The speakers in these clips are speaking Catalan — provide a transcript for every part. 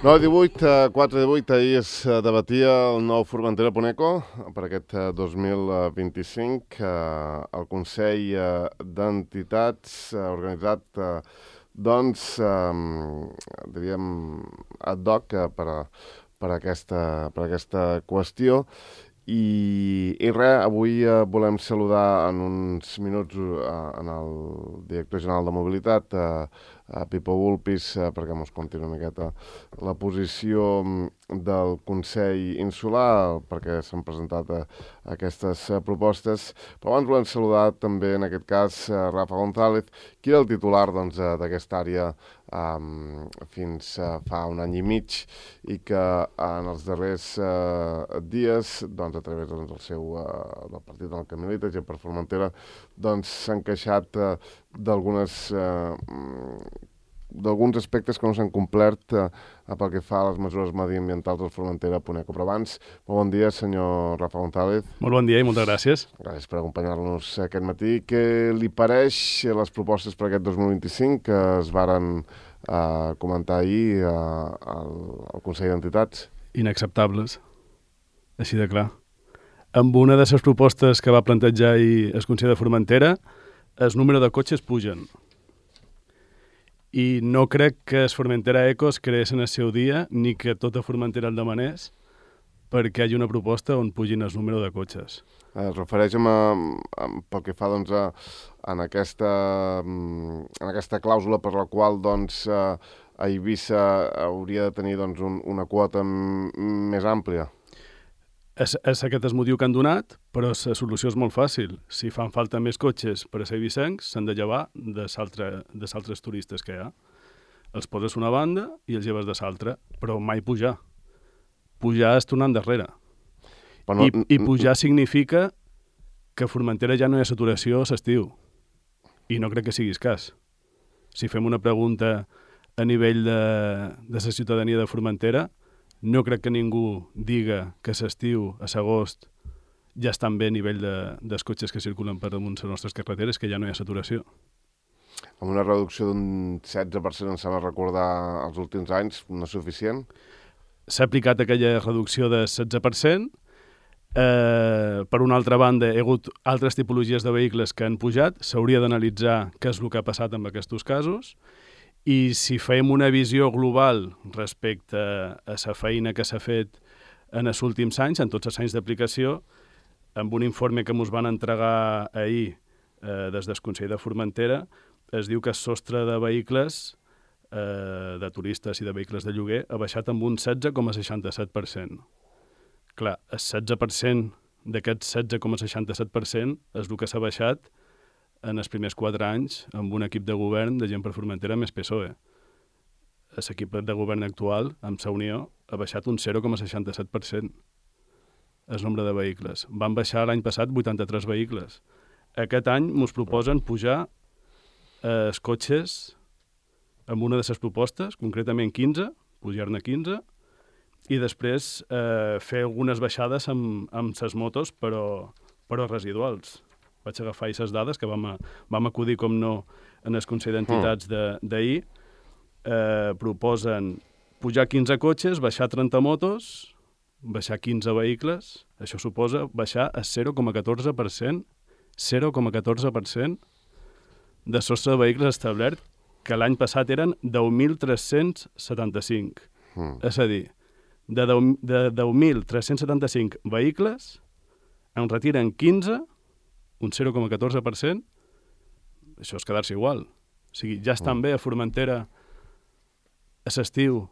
9-18, 4-18, ahir es debatia el nou Formentera-Poneco per aquest 2025. El Consell d'Entitats ha organitzat, diríem, ad hoc per aquesta qüestió. I res, avui volem saludar en uns minuts en el director general de Mobilitat, a Pipo Vulpis, perquè ens conti una miqueta la posició del Consell Insular, perquè s'han presentat aquestes propostes. Però abans volem saludar també, en aquest cas, Rafa González, qui era el titular d'aquesta àrea fins fa un any i mig i que en els darrers dies, a través del partit en el que milita, Gent per Formentera, s'han queixat d'alguns aspectes que no s'han complert pel que fa a les mesures mediambientals del Formentera-Poneco. Però abans, molt bon dia, senyor Rafa González. Molt bon dia i moltes gràcies. Gràcies per acompanyar-nos aquest matí. Què li pareix les propostes per aquest 2025 que es varen comentar ahir al Consell d'Entitats? Inacceptables, així de clar. Amb una de les propostes que va plantejar ahir el Consell de Formentera, el número de cotxes pugen. I no crec que el Formentera Eco es creés en el seu dia, ni que tota Formentera el demanés, perquè hi hagi una proposta on pugin el número de cotxes. Es refereix pel que fa en aquesta clàusula per la qual a Eivissa hauria de tenir una quota més àmplia. És aquest el motiu que han donat, però la solució és molt fàcil. Si fan falta més cotxes per a ser eivissencs, s'han de llevar de altres turistes que hi ha. Els poses una banda i els lleves de l'altra, però mai pujar. Pujar és tornar endarrere. I pujar significa que a Formentera ja no hi ha saturació a l'estiu. I no crec que siguis cas. Si fem una pregunta a nivell de la ciutadania de Formentera, no crec que ningú diga que l'estiu, a l'agost, ja estan bé a nivell dels cotxes que circulen per damunt les nostres carreteres, que ja no hi ha saturació. Amb una reducció d'un 16%, em sembla recordar, els últims anys, no és suficient? S'ha aplicat aquella reducció de 16%. Per una altra banda, hi ha hagut altres tipologies de vehicles que han pujat. S'hauria d'analitzar què és el que ha passat amb aquests casos. I si fem una visió global respecte a la feina que s'ha fet en els últims anys, en tots els anys d'aplicació, amb un informe que ens van entregar ahir des del Consell de Formentera, es diu que el sostre de vehicles, de turistes i de vehicles de lloguer, ha baixat amb un 16,67%. Clar, el 16% d'aquest 16,67% és el que s'ha baixat en els primers 4 anys amb un equip de govern de Gent per Formentera més PSOE. L'equip de govern actual, amb la Unió, ha baixat un 0,67% el nombre de vehicles. Van baixar l'any passat 83 vehicles. Aquest any ens proposen pujar els cotxes amb una de les propostes, concretament 15, pujar-ne 15, i després fer algunes baixades amb les motos, però residuals. Vaig agafar aquestes dades que vam acudir, com no, en el Consell d'Entitats d'ahir. Proposen pujar 15 cotxes, baixar 30 motos, baixar 15 vehicles. Això suposa baixar a 0,14%, 0,14% de sostre de vehicles establert, que l'any passat eren 10.375. És a dir, de 10.375 vehicles en retiren 15, un 0,14%, això és quedar-se igual. O sigui, ja estan bé a Formentera a l'estiu,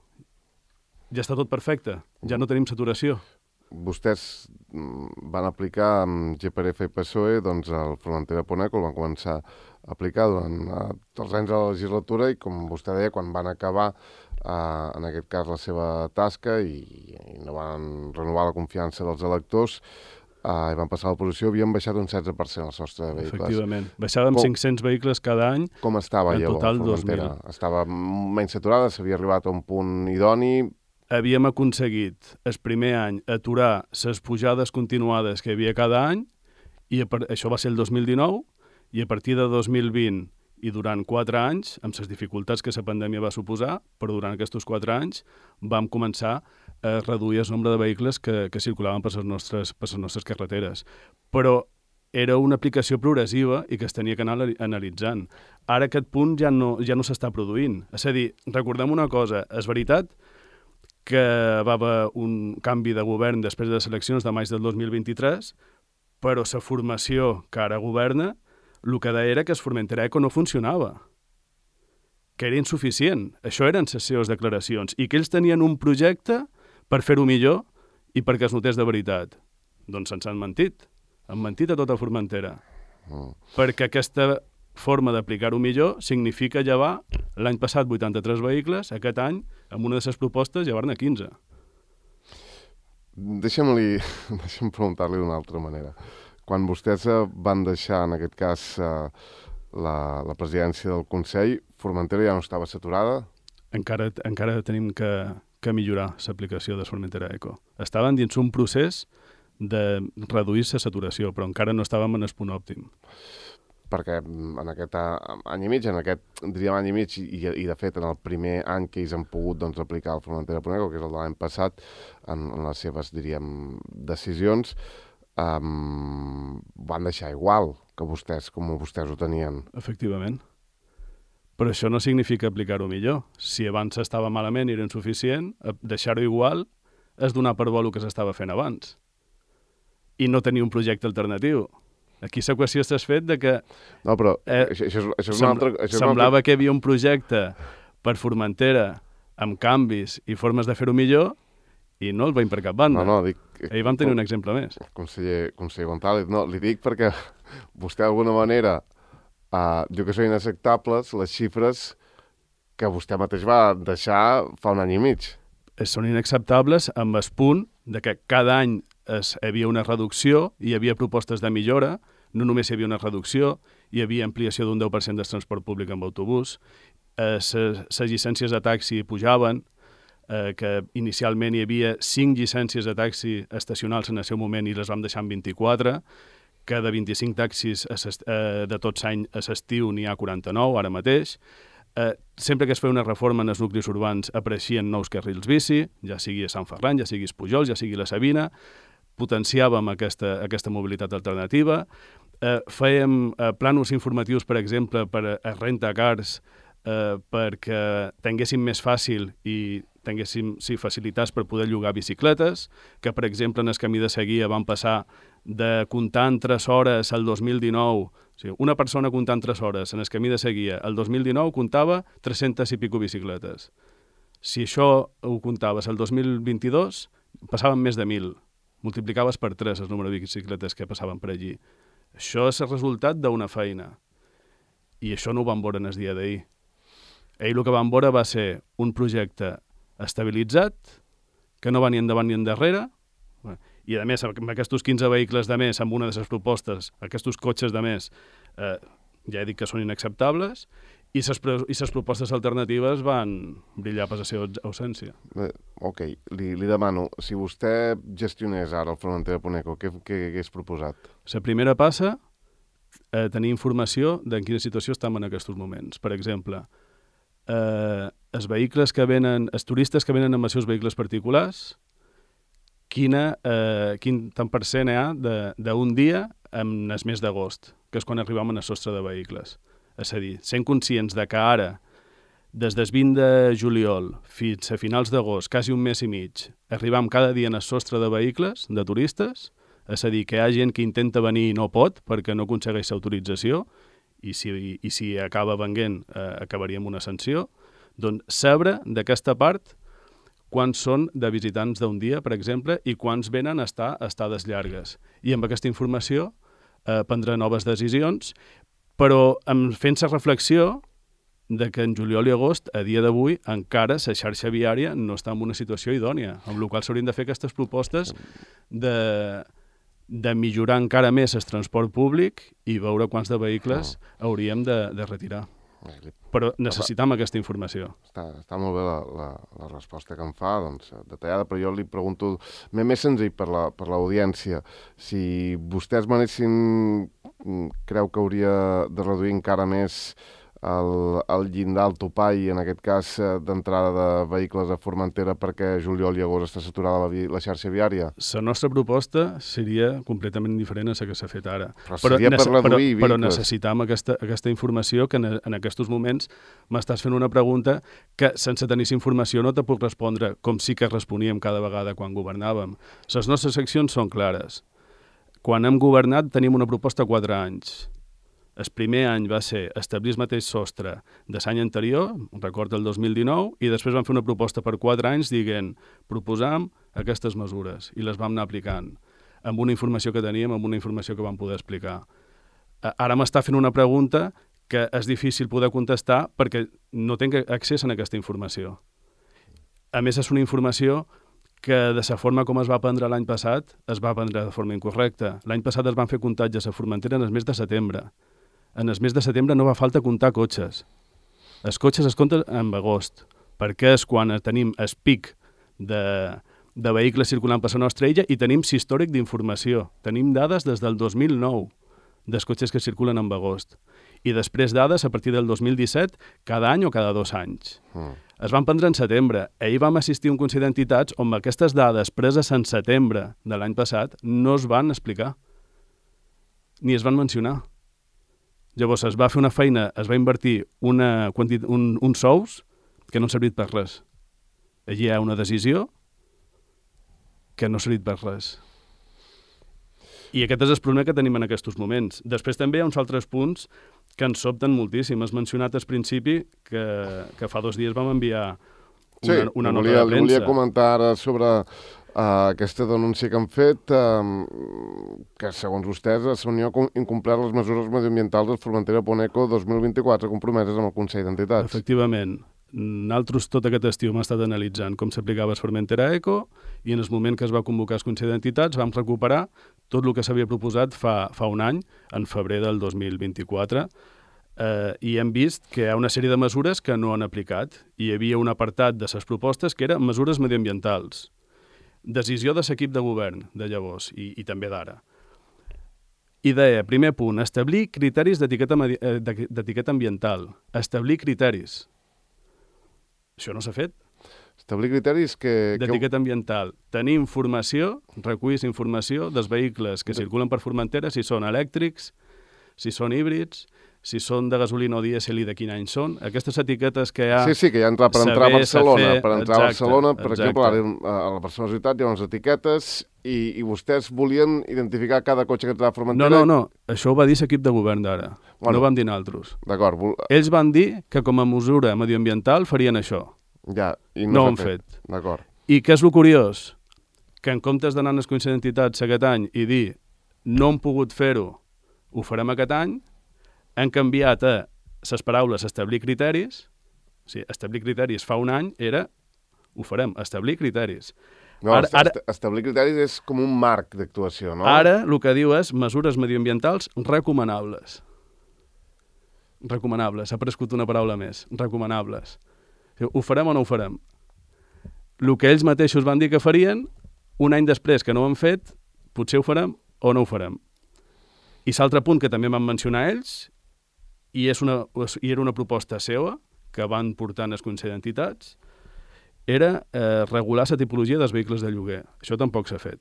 ja està tot perfecte, ja no tenim saturació. Vostès van aplicar amb GPRF i PSOE el Formentera-Poneco, el van començar a aplicar durant els anys de la legislatura i, com vostè deia, quan van acabar, en aquest cas, la seva tasca i no van renovar la confiança dels electors, i van passar a l'oposició, havien baixat un 16% el sostre de vehicles. Efectivament. Baixàvem 500 vehicles cada any. Com estava llavors Formentera? Estava menys saturada, s'havia arribat a un punt idoni? Havíem aconseguit el primer any aturar les pujades continuades que hi havia cada any, i això va ser el 2019, i a partir de 2020 I durant 4 anys, amb les dificultats que la pandèmia va suposar, però durant aquests 4 anys vam començar a reduir el nombre de vehicles que circulaven per les nostres carreteres. Però era una aplicació progressiva i que es tenia que anar analitzant. Ara aquest punt ja no s'està produint. És a dir, recordem una cosa, és veritat que va haver un canvi de govern després de les eleccions de maig del 2023, però la formació que ara governa el que deia era que el Formentera Eco no funcionava, que era insuficient. Això eren les seves declaracions, i que ells tenien un projecte per fer-ho millor i perquè es notés de veritat. Doncs ens han mentit. Han mentit a tota Formentera. Perquè aquesta forma d'aplicar-ho millor significa llevar l'any passat 83 vehicles, aquest any, amb una de les propostes, llevar-ne 15. Deixa'm preguntar-li d'una altra manera. Quan vostès van deixar, en aquest cas, la presidència del Consell, Formentera ja no estava saturada? Encara tenim que millorar l'aplicació de Formentera Eco. Estaven dins un procés de reduir la saturació, però encara no estàvem en el punt òptim. Perquè en aquest any i mig, diríem any i mig, i de fet en el primer any que ells han pogut aplicar el Formentera Eco, que és el de l'any passat, en les seves, diríem, decisions, van deixar igual que vostès, com vostès ho tenien. Efectivament. Però això no significa aplicar-ho millor. Si abans estava malament i era insuficient, deixar-ho igual és donar per bo el que s'estava fent abans. I no tenir un projecte alternatiu. Aquí la qüestió és el fet de que... No, però això és una altra... Semblava que hi havia un projecte per Formentera amb canvis i formes de fer-ho millor i no el veiem per cap banda. No, dic... Ahir vam tenir un exemple més. Conseller González, no, li dic perquè vostè d'alguna manera diu que són inacceptables les xifres que vostè mateix va deixar fa un any i mig. Són inacceptables amb el punt de que cada any hi havia una reducció, hi havia propostes de millora, no només hi havia una reducció, hi havia ampliació d'un 10% del transport públic amb autobús, les llicències de taxi pujaven, que inicialment hi havia 5 llicències de taxi estacionals en el seu moment i les vam deixar en 24, que de 25 taxis de tots any a l'estiu n'hi ha 49 ara mateix. Sempre que es feia una reforma en els nuclis urbans apareixien nous carrils bici, ja sigui a Sant Ferran, ja sigui a Pujols, ja sigui a la Sabina, potenciàvem aquesta mobilitat alternativa, fèiem plànols informatius, per exemple, per a rentacars, perquè tinguéssim més fàcil i tinguéssim facilitats per poder llogar bicicletes, que, per exemple, en el camí de Seguia van passar de comptar en 3 hores al 2019, o sigui, una persona comptant 3 hores en el camí de Seguia, el 2019 comptava 300 i pico bicicletes. Si això ho comptaves el 2022, passaven més de 1.000. Multiplicaves per 3 el número de bicicletes que passaven per allí. Això és el resultat d'una feina. I això no ho vam veure en el dia d'ahir. Ell el que vam veure va ser un projecte estabilitzat, que no va ni endavant ni endarrere, i a més, amb aquests 15 vehicles de més, amb una de les propostes, aquests cotxes de més, ja he dit que són inacceptables, i les propostes alternatives van brillar per la seva ausència. Ok, li demano, si vostè gestionés ara el Formentera Eco, què hagués proposat? La primera passa a tenir informació de en quina situació estem en aquests moments. Per exemple, els vehicles que venen, els turistes que venen amb els seus vehicles particulars, quin tant per cent hi ha d'un dia en el mes d'agost, que és quan arribam al sostre de vehicles. És a dir, sent conscients de que ara, des del 20 de juliol fins a finals d'agost, quasi un mes i mig, arribam cada dia al sostre de vehicles, de turistes, és a dir, que hi ha gent que intenta venir i no pot perquè no aconsegueix l'autorització, i si acaba venent acabaria amb una sanció, doncs saber d'aquesta part quants són de visitants d'un dia, per exemple, i quants venen a estar a estades llargues. I amb aquesta informació prendre noves decisions, però fent la reflexió de que en juliol i agost, a dia d'avui, encara la xarxa viària no està en una situació idònia, amb la qual s'haurien de fer aquestes propostes de millorar encara més el transport públic i veure quants de vehicles hauríem de retirar. Però necessitam aquesta informació. Està molt bé la resposta que em fa, doncs, detallada, però jo li pregunto més senzill per l'audiència. Si vostès manessin, creu que hauria de reduir encara més el llindar, el topall, en aquest cas d'entrada de vehicles a Formentera perquè juliol i agost està saturada la xarxa viària? La nostra proposta seria completament diferent a la que s'ha fet ara. Però seria per reduir vehicles. Però necessitam aquesta informació que en aquests moments m'estàs fent una pregunta que sense tenir informació no te puc respondre com sí que responíem cada vegada quan governàvem. Les nostres accions són clares. Quan hem governat tenim una proposta a 4 anys. El primer any va ser establir el mateix sostre de l'any anterior, record el 2019, i després vam fer una proposta per 4 anys dient proposam aquestes mesures i les vam anar aplicant amb una informació que teníem, amb una informació que vam poder explicar. Ara m'està fent una pregunta que és difícil poder contestar perquè no tinc accés a aquesta informació. A més, és una informació que de la forma com es va prendre l'any passat, es va prendre de forma incorrecta. L'any passat es van fer comptatges a Formentera en el mes de setembre. En el mes de setembre no va falta comptar cotxes. Els cotxes es compten en agost, perquè és quan tenim el pic de vehicles circulant per la nostra illa i tenim històric d'informació. Tenim dades des del 2009 dels cotxes que circulen en agost. I després dades a partir del 2017 cada any o cada 2 anys. Es van prendre en setembre. Ahir vam assistir a un Consell d'Entitats on aquestes dades preses en setembre de l'any passat no es van explicar, ni es van mencionar. Llavors es va fer una feina, es va invertir uns sous que no han servit per res. Allí hi ha una decisió que no ha servit per res. I aquest és el problema que tenim en aquests moments. Després també hi ha uns altres punts que ens sobten moltíssim. Has mencionat al principi que fa 2 dies vam enviar una nota de premsa. Volia comentar ara sobre aquesta denúncia que han fet, que segons vostès la Unió ha incomplert les mesures mediambientals del Formentera Poneco 2024 compromeses amb el Consell d'Entitats. Efectivament. Nosaltres tot aquest estiu hem estat analitzant com s'aplicava el Formentera Eco i en el moment que es va convocar el Consell d'Entitats vam recuperar tot el que s'havia proposat fa un any, en febrer del 2024, i hem vist que hi ha una sèrie de mesures que no han aplicat. Hi havia un apartat de les propostes que eren mesures mediambientals. Decisió de l'equip de govern de llavors i també d'ara. I deia, primer punt, establir criteris d'etiqueta ambiental. Establir criteris. Això no s'ha fet. Establir criteris d'etiqueta ambiental. Tenir informació, recullir informació dels vehicles que circulen per Formentera, si són elèctrics, si són híbrids, si són de gasolina o dièsel i de quin any són. Aquestes etiquetes que hi ha... Sí, que hi ha per entrar a Barcelona. Per entrar a Barcelona, per exemple, a la Barcelona ciutat hi ha unes etiquetes i vostès volien identificar cada cotxe que entrava a Formentera... No. Això ho va dir l'equip de govern d'ara. No ho vam dir nosaltres. D'acord. Ells van dir que com a mesura medioambiental farien això. Ja, i no ho han fet. D'acord. I què és el curiós? Que en comptes d'anar als Consells d'Entitats aquest any i dir no hem pogut fer-ho, ho farem aquest any, han canviat a les paraules establir criteris. O sigui, establir criteris fa un any era ho farem, establir criteris. No, establir criteris és com un marc d'actuació, no? Ara el que diu és mesures mediambientals recomanables. Recomanables, ha aparegut una paraula més, recomanables. Ho farem o no ho farem? El que ells mateixos van dir que farien, un any després que no ho han fet, potser ho farem o no ho farem. I l'altre punt que també van mencionar ells, i era una proposta seva, que van portar al Consell d'Entitats, era regular la tipologia dels vehicles de lloguer. Això tampoc s'ha fet.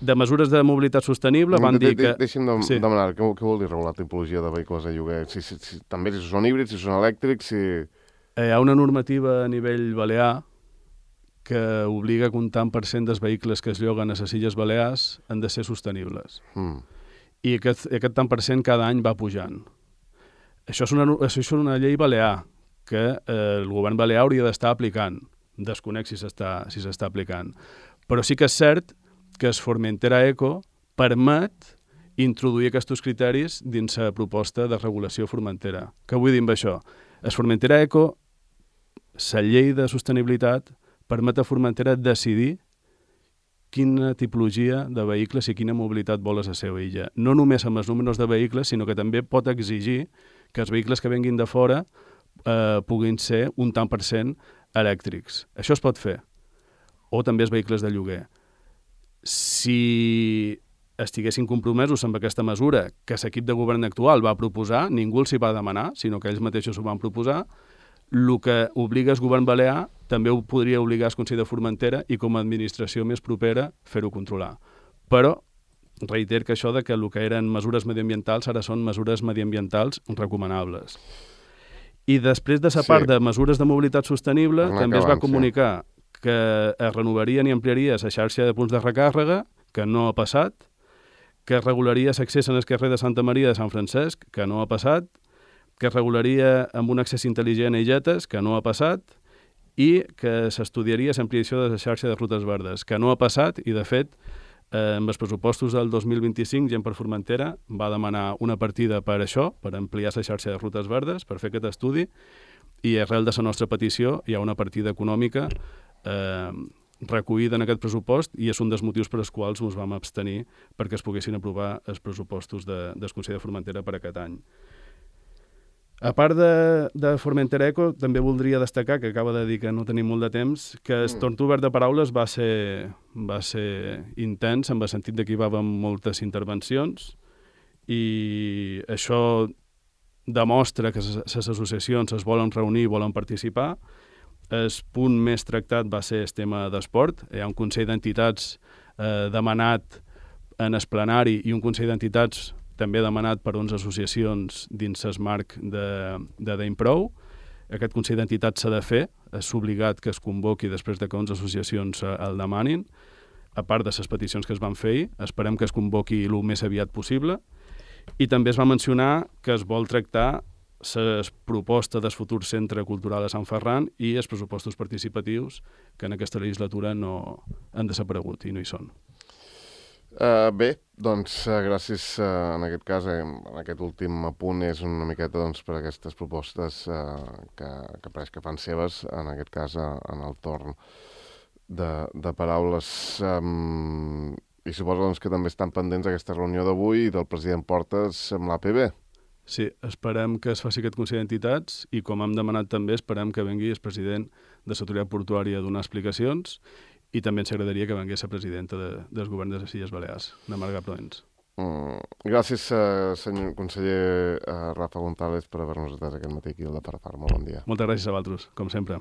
De mesures de mobilitat sostenible van dir que... Deixa'm demanar, què vol dir regular la tipologia de vehicles de lloguer? També si són híbrids, si són elèctrics, si... Hi ha una normativa a nivell balear que obliga que un tant per cent dels vehicles que es lloguen a les Illes Balears han de ser sostenibles. I aquest tant per cent cada any va pujant. Això és una llei balear que el govern balear hauria d'estar aplicant. Desconec si s'està aplicant. Però sí que és cert que el Formentera Eco permet introduir aquests criteris dins la proposta de regulació formentera. Què vull dir amb això? El Formentera Eco, la llei de sostenibilitat, permet a Formentera decidir quina tipologia de vehicles i quina mobilitat vol a la seva illa. No només amb els números de vehicles, sinó que també pot exigir que els vehicles que venguin de fora puguin ser un tant per cent elèctrics. Això es pot fer. O també els vehicles de lloguer. Si estiguessin compromesos amb aquesta mesura que l'equip de govern actual va proposar, ningú els hi va demanar, sinó que ells mateixos ho van proposar, el que obliga el govern balear també ho podria obligar el Consell de Formentera i com a administració més propera fer-ho controlar. Però reiter que això de que el que eren mesures mediambientals ara són mesures mediambientals recomanables. I després de la part de mesures de mobilitat sostenible també es va comunicar que es renovarien i ampliaria la xarxa de punts de recàrrega, que no ha passat, que es regularia l'accés en el carrer de Santa Maria de Sant Francesc, que no ha passat, que es regularia amb un accés intel·ligent a illetes, que no ha passat, i que s'estudiaria l'ampliació de la xarxa de rutes verdes, que no ha passat, i de fet, amb els pressupostos del 2025, Gent per Formentera va demanar una partida per això, per ampliar la xarxa de rutes verdes, per fer aquest estudi, i arrel de la nostra petició hi ha una partida econòmica recollida en aquest pressupost i és un dels motius per als quals ens vam abstenir perquè es poguessin aprovar els pressupostos del Consell de Formentera per aquest any. A part de Formentera Eco, també voldria destacar, que acaba de dir que no tenim molt de temps, que el torn obert de paraules va ser intens, en el sentit que hi va haver moltes intervencions, i això demostra que les associacions es volen reunir i volen participar. El punt més tractat va ser el tema d'esport. Hi ha un Consell d'Entitats demanat en el plenari i un Consell d'Entitats també demanat per 11 associacions dins el marc de D'Improu. Aquest Consell d'Entitats s'ha de fer, és obligat que es convoqui després de que 11 associacions el demanin, a part de les peticions que es van fer ahir. Esperem que es convoqui el més aviat possible. I també es va mencionar que es vol tractar la proposta del futur Centre Cultural a Sant Ferran i els pressupostos participatius que en aquesta legislatura no han desaparegut i no hi són. Bé, doncs gràcies en aquest cas, en aquest últim apunt és una miqueta per aquestes propostes que pareix que fan seves, en aquest cas en el torn de paraules. I suposo que també estan pendents d'aquesta reunió d'avui del president Portes amb l'APB. Sí, esperem que es faci aquest Consell d'Entitats i, com hem demanat també, esperem que vengui el president de l'Autoritat Portuària a donar explicacions i també ens agradaria que vengués la presidenta del govern de les Illes Balears, la Marga Proens. Gràcies, senyor conseller Rafa González, per haver-nos atès aquest matí aquí al de Parafar. Molt bon dia. Moltes gràcies a vosaltres, com sempre.